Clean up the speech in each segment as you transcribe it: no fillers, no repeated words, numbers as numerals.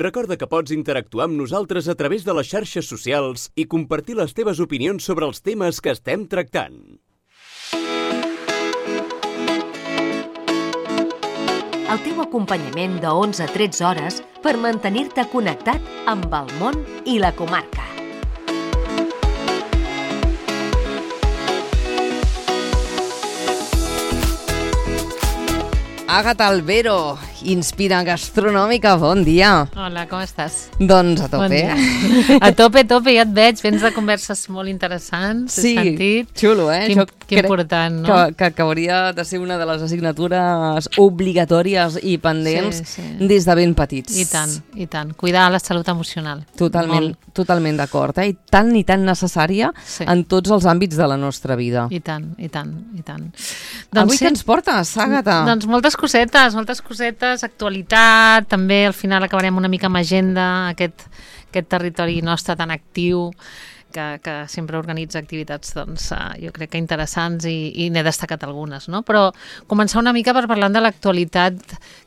Recorda que pots interactuar amb nosaltres a través de les xarxes socials i compartir les teves opinions sobre els temes que estem tractant. El teu acompanyament de 11 a 13 hores per mantenir-te connectat amb el món i la comarca. Àgata Albero, Inspira Gastronòmica, bon dia. Hola, com estàs? Doncs a tope. Bon a tope, ja et veig, vens de converses molt interessants, sí, he sentit. Xulo, Que important, no? Que hauria de ser una de les assignatures obligatòries i pendents des de ben petits. I tant. Cuidar la salut emocional. Totalment d'acord, I tan necessària en tots els àmbits de la nostra vida. I tant. Avui què ens portes, Àgata? Doncs moltes cosetes, actualitat, també al final acabarem una mica amb agenda, aquest territori nostre tan actiu, que sempre organitza activitats, doncs, jo crec que interessants i n'he destacat algunes, no? Però començar una mica per parlar de l'actualitat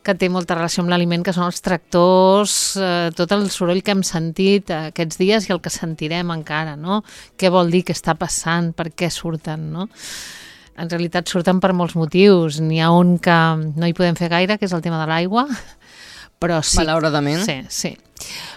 que té molta relació amb l'aliment, que són els tractors, tot el soroll que hem sentit aquests dies i el que sentirem encara, no? Què vol dir, què està passant, per què surten, no? En realitat surten per molts motius. N'hi ha un que no hi podem fer gaire, que és el tema de l'aigua, però sí... Malauradament. Sí.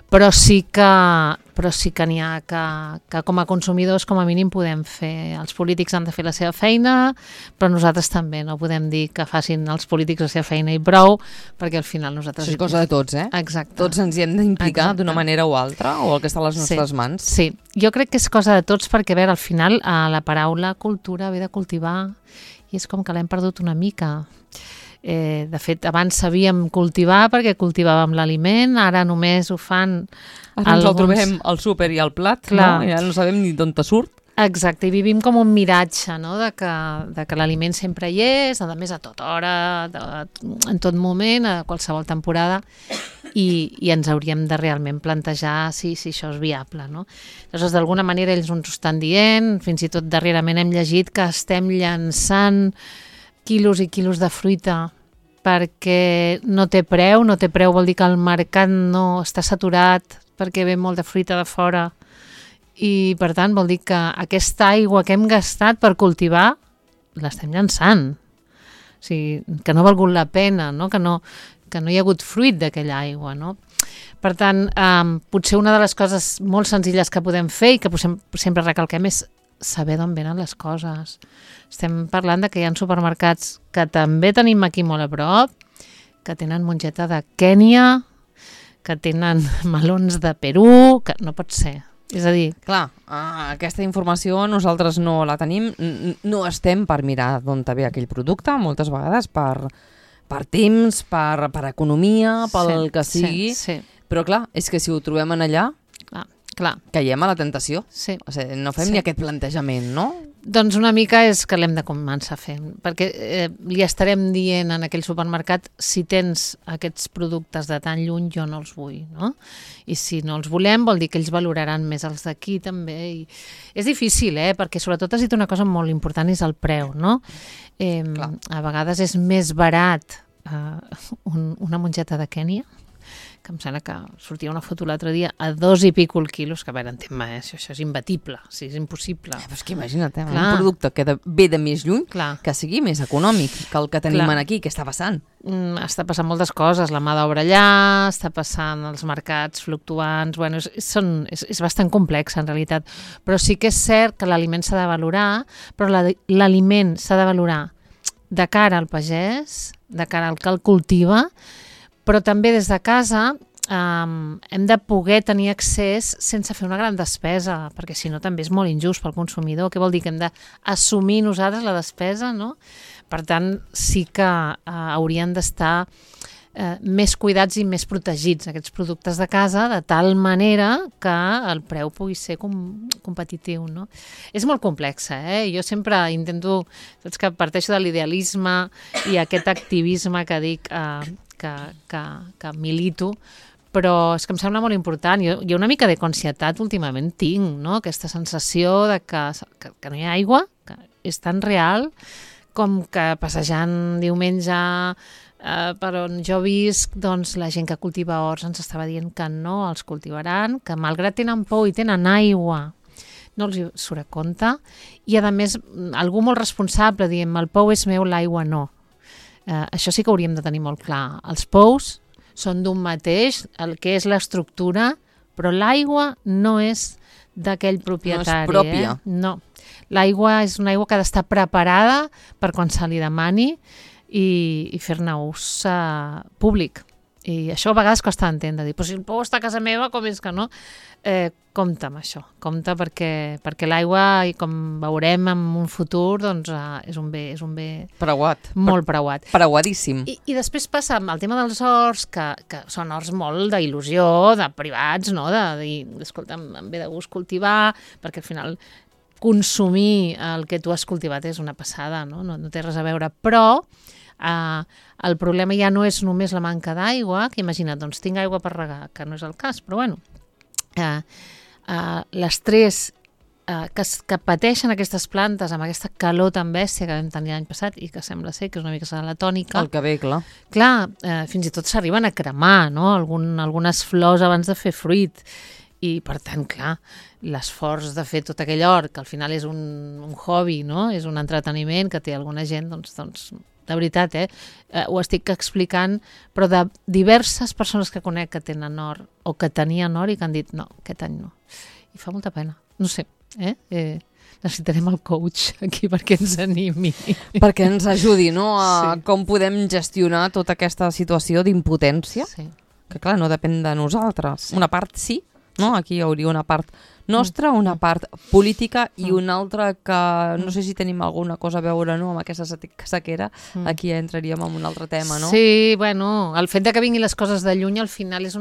Però sí que n'hi ha que com a consumidors com a mínim podem fer. Els polítics han de fer la seva feina, però nosaltres també no podem dir que facin els polítics la seva feina i prou, perquè al final nosaltres... Això és cosa de tots, Exacte. Tots ens hi hem d'implicar d'una manera o altra, o el que està a les nostres mans. Sí, jo crec que és cosa de tots perquè, a veure, al final la paraula cultura ve de cultivar i és com que l'hem perdut una mica. De fet, abans sabíem cultivar perquè cultivàvem l'aliment, ara només ho fan... Ara ens el trobem al súper i al plat, no? I ara no sabem ni d'on te surt. Exacte, i vivim com un miratge, no? de que l'aliment sempre hi és, a més a tota hora, en tot moment, a qualsevol temporada, i ens hauríem de realment plantejar si això és viable, no? Llavors, d'alguna manera, ells ens ho estan dient, fins i tot darrerament hem llegit que estem llançant quilos i quilos de fruita perquè no té preu vol dir que el mercat no està saturat perquè ve molt de fruita de fora i per tant vol dir que aquesta aigua que hem gastat per cultivar l'estem llançant, o sigui, que no ha valgut la pena, no? Que no hi ha hagut fruit d'aquella aigua, no? Per tant, potser una de les coses molt senzilles que podem fer i que sempre recalquem és saber d'on venen les coses. Estem parlant de que hi ha supermercats que també tenim aquí molt a prop, que tenen mongeta de Kènia, que tenen melons de Perú, que no pot ser. És a dir... Clar, aquesta informació nosaltres no la tenim, no estem per mirar d'on ve aquell producte, moltes vegades per temps, per economia, pel que sigui, però clar, és que si ho trobem en allà... Clar. Caiem a la tentació. Sí. O sigui, no fem ni aquest plantejament, no? Doncs una mica és que l'hem de començar a fer, perquè li estarem dient en aquell supermercat si tens aquests productes de tan lluny jo no els vull, no? I si no els volem vol dir que ells valoraran més els d'aquí també. I és difícil, perquè sobretot has dit una cosa molt important, és el preu, no? A vegades és més barat una mongeta de Kènia, que em sembla que sortia una foto l'altre dia a 2 i pico el quilos, que a veure, entén-me, això és imbattible, és impossible. Però és que imagina't, un producte que ve de més lluny, que sigui més econòmic que el que tenim aquí, què està passant? Està passant moltes coses, la mà d'obra allà, està passant els mercats fluctuants, bueno, és bastant complex en realitat, però sí que és cert que l'aliment s'ha de valorar, però l'aliment s'ha de valorar de cara al pagès, de cara al que el cultiva, però també des de casa hem de poder tenir accés sense fer una gran despesa, perquè si no també és molt injust pel consumidor. Què vol dir? Que hem d'assumir nosaltres la despesa, no? Per tant, sí que haurien d'estar més cuidats i més protegits aquests productes de casa, de tal manera que el preu pugui ser competitiu, no? És molt complexa, Jo sempre intento, saps que parteixo de l'idealisme i aquest activisme que dic que milito, però és que em sembla molt important. Jo una mica de conscietat últimament tinc, no? Aquesta sensació de que no hi ha aigua, que és tan real com que passejant diumenge per on jo visc, doncs la gent que cultiva horts ens estava dient que no els cultivaran, que malgrat tenen pou i tenen aigua, no els hi surt a compte, i a més algú molt responsable dient el pou és meu, l'aigua no. Això sí que hauríem de tenir molt clar. Els pous són d'un mateix, el que és l'estructura, però l'aigua no és d'aquell propietari. No és pròpia. No. L'aigua és una aigua que ha d'estar preparada per quan se li demani i fer-ne ús públic. I això a vegades costa d'entendre. Dir, però si el pou està a casa meva, com és que no? Compte amb això. Compte perquè l'aigua, i com veurem en un futur, doncs és un bé Preuat. molt preuat. Preuadíssim. I després passa amb el tema dels horts, que són horts molt d'il·lusió, de privats, no? De dir, escolta, em ve de gust cultivar, perquè al final consumir el que tu has cultivat és una passada, no té res a veure. Però el problema ja no és només la manca d'aigua, que imagina't, doncs tinc aigua per regar, que no és el cas, però bueno, l'estrès que pateixen aquestes plantes amb aquesta calor tan bèstia que vam tenir l'any passat i que sembla ser que és una mica serà la tònica. El que ve, clar. Clar, fins i tot s'arriben a cremar, no? Algunes flors abans de fer fruit. I, per tant, clar, l'esforç de fer tot aquell hort, que al final és un hobby, no? És un entreteniment que té alguna gent, doncs de veritat, ho estic explicant, però de diverses persones que conec que tenen hort o que tenien hort i que han dit no, aquest any no. I fa molta pena. No sé, necessitarem el coach aquí perquè ens animi. Perquè ens ajudi, no?, a com podem gestionar tota aquesta situació d'impotència, que clar, no depèn de nosaltres. Una part sí, no? Aquí hi hauria una part nostra, una part política i una altra que no sé si tenim alguna cosa a veure, no?, amb aquesta sequera. Aquí ja entraríem en un altre tema, no? Sí, bueno, el fet de que vinguin les coses de lluny al final és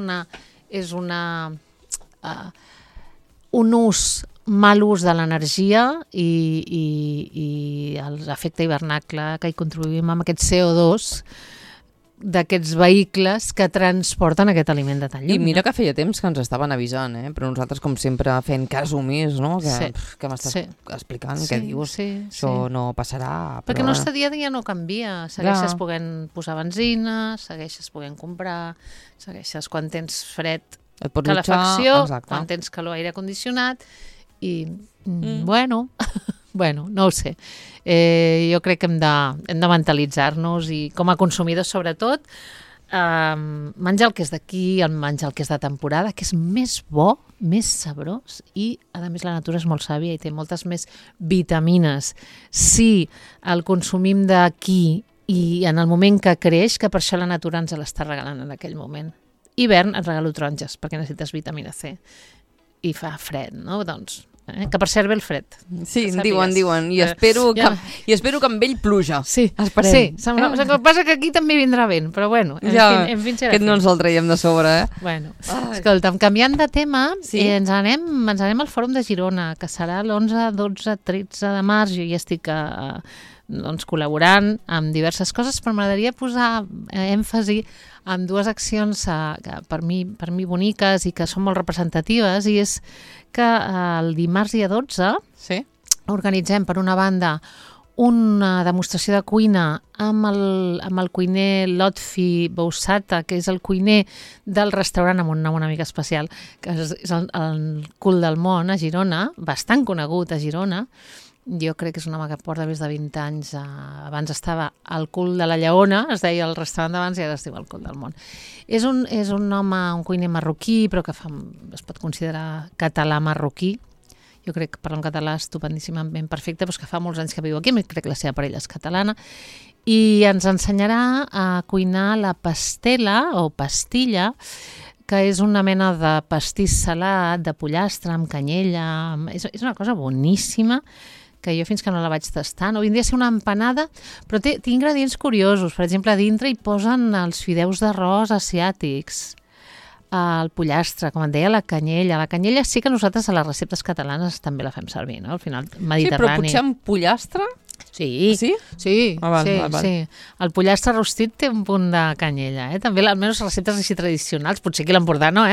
mal ús de l'energia i l'efecte hivernacle que hi contribuïm amb aquest CO2 d'aquests vehicles que transporten aquest aliment de tan lluny. I mira que feia temps que ens estaven avisant, però nosaltres, com sempre, fent cas omís, no? Que m'estàs explicant, què dius? Això no passarà. Perquè el nostre dia a dia no canvia. Segueixes podent posar benzina, segueixes podent comprar, segueixes quan tens fred, calefacció, quan tens calor, aire condicionat, i bueno, no ho sé. Jo crec que hem de mentalitzar-nos i com a consumidors sobretot menjar el que és d'aquí, menjar el que és de temporada, que és més bo, més sabrós i a més la natura és molt sàvia i té moltes més vitamines. Si el consumim d'aquí i en el moment que creix, que per això la natura ens l'està regalant en aquell moment. Hivern et regalo taronges perquè necessites vitamina C i fa fred, no? Doncs que per cert ve el fred. Sí, diuen. I espero que amb ell pluja. Sí, esperem. Sí, el que passa que aquí també vindrà vent, però bueno, en fi serà. Aquest no ens el traiem de sobre, Bueno, escolta'm, canviant de tema, ens anem al Fòrum de Girona, que serà l'11, 12, 13 de març. Jo ja estic col·laborant amb diverses coses, però m'agradaria posar èmfasi en dues accions que per mi boniques i que són molt representatives, i és que el dimarts dia 12 organitzem, per una banda, una demostració de cuina amb el cuiner Lotfi Bousata, que és el cuiner del restaurant amb un nom una mica especial, que és el Cul del Món a Girona, bastant conegut a Girona. Jo crec que és un home que porta més de 20 anys. Abans estava al Cul de la Lleona, es deia el restaurant d'abans, i ara es diu el Cul del Món. És un home, un cuiner marroquí, però que es pot considerar català-marroquí. Jo crec que parla en català estupendíssimament perfecte, però que fa molts anys que viu aquí, crec que la seva parella és catalana, i ens ensenyarà a cuinar la pastela o pastilla, que és una mena de pastís salat, de pollastre, amb canyella. És una cosa boníssima, que jo fins que no la vaig tastar, no vindria a ser una empanada, però té ingredients curiosos. Per exemple, a dintre hi posen els fideus d'arròs asiàtics, el pollastre, com et deia, la canyella. La canyella sí que nosaltres a les receptes catalanes també la fem servir, no? Al final, mediterrani. Sí, però potser amb pollastre? Sí. El pollastre rostit té un punt de canyella, també, almenys receptes així tradicionals, potser aquí a l'Empordà no,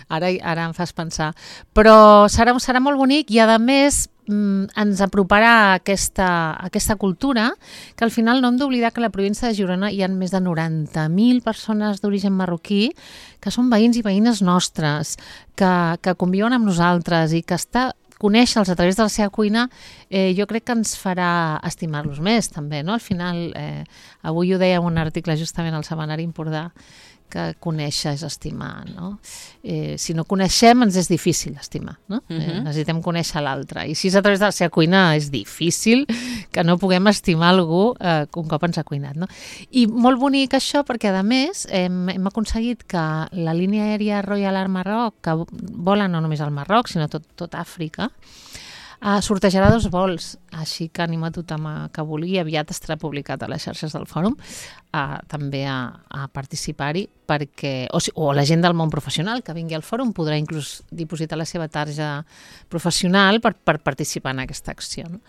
Ara em fas pensar. Però serà molt bonic i, a més, ens aproparà a aquesta cultura, que al final no hem d'oblidar que a la província de Girona hi ha més de 90.000 persones d'origen marroquí que són veïns i veïnes nostres, que conviuen amb nosaltres i que conèixer-los a través de la seva cuina jo crec que ens farà estimar-los més també, no? Al final, avui ho deia en un article justament al Setmanari Empordà, que conèixer és estimar, no? Si no coneixem ens és difícil estimar, no? Necessitem conèixer l'altre, i si és a través de la seva cuina és difícil que no puguem estimar algú un cop ens ha cuinat, no? I molt bonic això perquè, a més, hem aconseguit que la línia aèria Royal Air Maroc, que vola no només al Marroc, sinó tot Àfrica, sortejarà 2 vols, així que animo a tothom que vulgui, aviat estarà publicat a les xarxes del fòrum, també a participar-hi, o la gent del món professional que vingui al fòrum podrà inclús dipositar la seva tarja professional per participar en aquesta acció, no?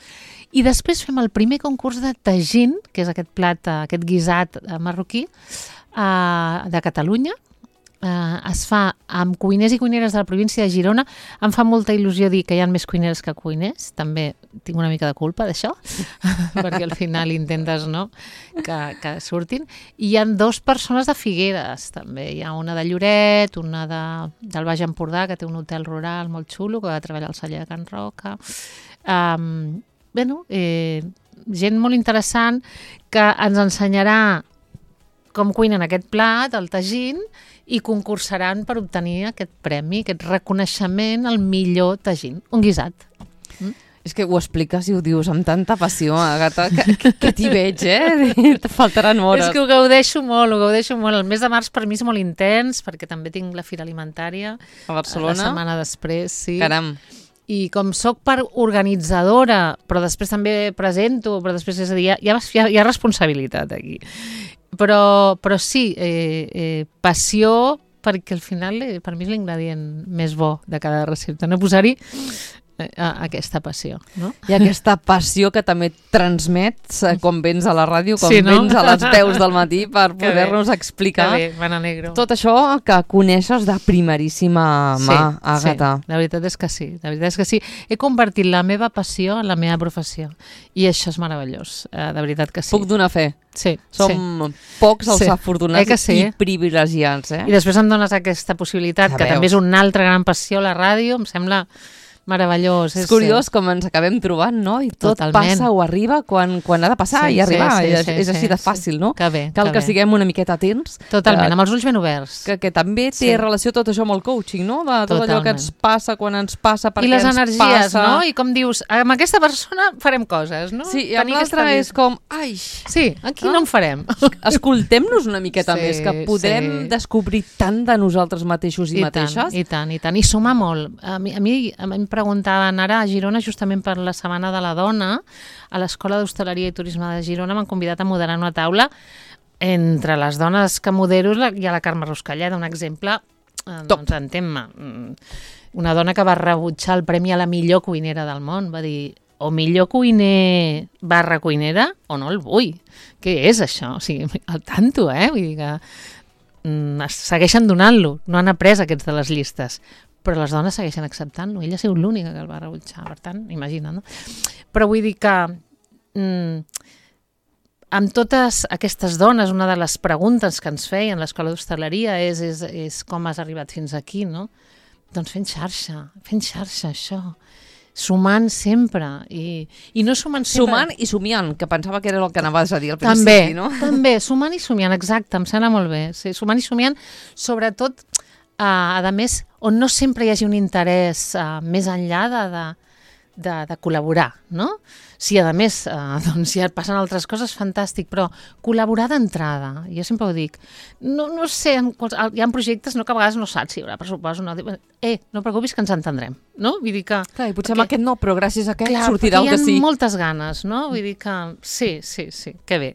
I després fem el primer concurs de tagín, que és aquest plat, aquest guisat marroquí de Catalunya. Es fa amb cuiners i cuineres de la província de Girona. Em fa molta il·lusió dir que hi ha més cuineres que cuiners, també tinc una mica de culpa d'això, perquè al final intentes, no?, que surtin. I hi ha 2 persones de Figueres, també. Hi ha una de Lloret, una del Baix Empordà, que té un hotel rural molt xulo, que va treballar al celler de Can Roca. Gent molt interessant que ens ensenyarà com cuinen aquest plat, el tagín, i concursaran per obtenir aquest premi, aquest reconeixement al millor tagín, un guisat. És que ho expliques i ho dius amb tanta passió, Àgata, que t'hi veig, Te faltaran hores. És que ho gaudeixo molt. El mes de març per mi és molt intens, perquè també tinc la Fira Alimentària a Barcelona. La setmana després, sí. Caram. I com soc part organitzadora, però després també presento, però després, és a dir, hi ha responsabilitat aquí. Però sí, passió, perquè al final per mi és l'ingredient més bo de cada recepta, no posar-hi aquesta passió, no? I aquesta passió que també transmets quan vens a la ràdio, quan vens a les 10 del matí per poder-nos explicar me n'alegro. Tot això que coneixes de primeríssima mà, Àgata. Sí, la veritat és que sí. He convertit la meva passió en la meva professió i això és meravellós, de veritat que sí. Puc donar fe. Sí, Som pocs els afortunats i privilegiats. I després em dones aquesta possibilitat, que també és una altra gran passió, la ràdio, em sembla meravellós. És curiós com ens acabem trobant, no? I tot passa o arriba quan ha de passar i arribar. És així de fàcil, no? Cal que siguem una miqueta atents. Totalment, amb els ulls ben oberts. Que també té relació tot això amb el coaching, no? De tot allò que ens passa, quan ens passa, per què ens passa. I les energies, no? I com dius, amb aquesta persona farem coses, no? Sí, i amb l'altra és com, ai... Sí, aquí no en farem. Escoltem-nos una miqueta més, que podem descobrir tant de nosaltres mateixos i mateixes. I tant. I sumar molt. A mi em preguntaven ara a Girona, justament per la Setmana de la Dona, a l'Escola d'Hostaleria i Turisme de Girona m'han convidat a moderar una taula entre les dones que modero i a la Carme Ruscalleda, un exemple, doncs entén-me, una dona que va rebutjar el premi a la millor cuinera del món, va dir, o millor cuiner / cuinera, o no el vull. Què és això? O sigui, al tanto, vull dir que segueixen donant-lo, no han après aquests de les llistes, però les dones segueixen acceptant-lo. Ella ha sigut l'única que el va rebutjar, per tant, imagina't, no? Però vull dir que amb totes aquestes dones, una de les preguntes que ens feien l'Escola d'Hostaleria és com has arribat fins aquí, no? Doncs fent xarxa, això. Sumant sempre, i no sumant sempre... Sumant i somiant, que pensava que era el que anaves a dir al principi, no? També, sumant i somiant, exacte, em sembla molt bé. Sí, sumant i somiant, sobretot, a més, on no sempre hi hagi un interès més enllà de col·laborar, no? Si a més doncs ja passen altres coses, fantàstic, però col·laborar d'entrada, jo sempre ho dic, no sé, hi ha projectes que a vegades no saps si hi haurà pressupost o no, no et preocupis que ens entendrem, no? Vull dir que... Clar, i potser amb aquest no, però gràcies a aquest sortirà el que sí. Hi ha moltes ganes, no? Vull dir que sí, que bé.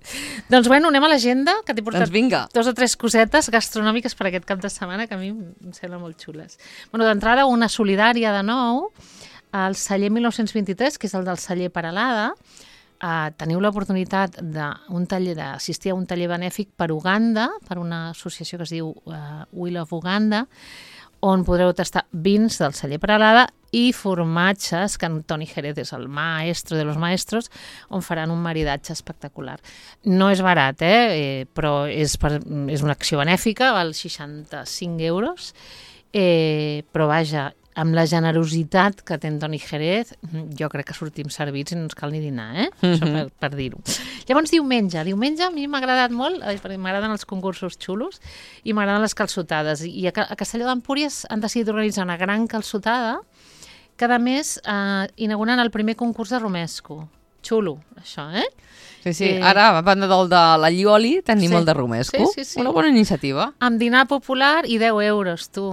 Doncs bueno, anem a l'agenda, que t'he portat 2 o 3 cosetes gastronòmiques per aquest cap de setmana que a mi em semblen molt xules. Bueno, d'entrada, una solidària de nou, el celler 1923, que és el del celler Peralada. Teniu l'oportunitat d'assistir a un taller benèfic per Uganda, per una associació que es diu We Love Uganda, on podreu tastar vins del celler Peralada i formatges, que Antoni Jerez és el maestro de los maestros, on faran un maridatge espectacular. No és barat, però és una acció benèfica, val 65 euros, però vaja, amb la generositat que té Antoni Jerez, jo crec que sortim servits i no ens cal ni dinar, Això per dir-ho. Llavors, diumenge a mi m'ha agradat molt, perquè m'agraden els concursos xulos i m'agraden les calçotades. I a Castelló d'Empúries han decidit organitzar una gran calçotada que, a més, inauguren el primer concurs de romesco. Xulo, això, Sí, ara, a banda del de la Llioli, tenim el de romesco. Sí. Una bona iniciativa. Amb dinar popular i 10 euros, tu.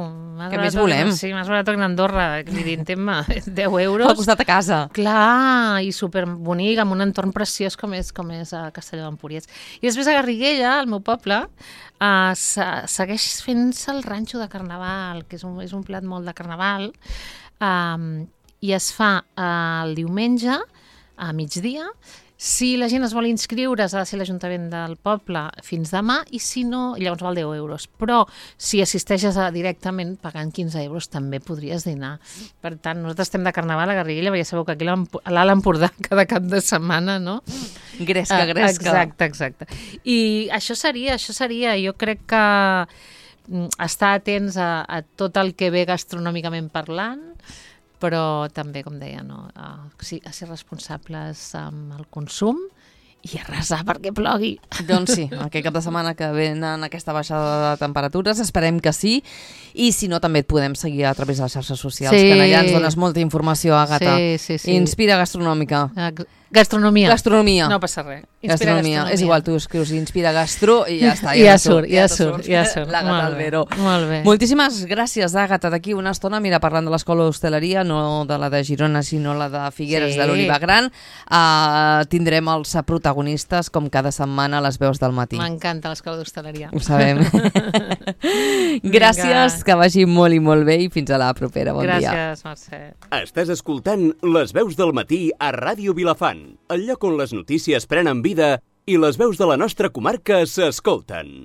Què més volem? Sí, m'has barat en Andorra, evidentment, 10 euros. Al costat de casa. Clar, i superbonic, amb un entorn preciós com és a Castelló d'Empúries. I després a Garriguella, al meu poble, segueix fent-se el ranxo de carnaval, que és un plat molt de carnaval, i es fa el diumenge a migdia. Si la gent es vol inscriure, ha de ser l'Ajuntament del poble fins demà, i si no, llavors val 10 euros. Però si assisteixes directament pagant 15 euros també podries dinar. Per tant, nosaltres estem de carnaval a Garriguella, perquè ja sabeu que aquí a l'Alt Empordà cada cap de setmana, no? Gresca. Exacte. I això seria. Jo crec que estar atents a tot el que ve gastronòmicament parlant, però també, com deia, a ser responsables amb el consum i a resar perquè plogui. Doncs sí, aquest cap de setmana que venen aquesta baixada de temperatures, esperem que sí, i si no també et podem seguir a través de les xarxes socials, que allà ens dones molta informació, Àgata. Sí. Inspira Gastronòmica. Gastronomia. No passa res. Gastronomia. És igual, tu escrius Inspira Gastro i ja està. Ja surt. L'Àgata Albero. Molt bé. Moltíssimes gràcies, Àgata. D'aquí una estona, mira, parlant de l'Escola d'Hostaleria, no de la de Girona, sinó la de Figueres de l'Oliva Gran, tindrem els protagonistes, com cada setmana, a les veus del matí. M'encanta l'Escola d'Hostaleria. Ho sabem. Gràcies, que vagi molt i molt bé i fins a la propera. Bon dia. Gràcies, Mercè. Estàs escoltant Les veus del matí a Ràdio Vilafant, el lloc on les notícies prenen vida i les veus de la nostra comarca s'escolten.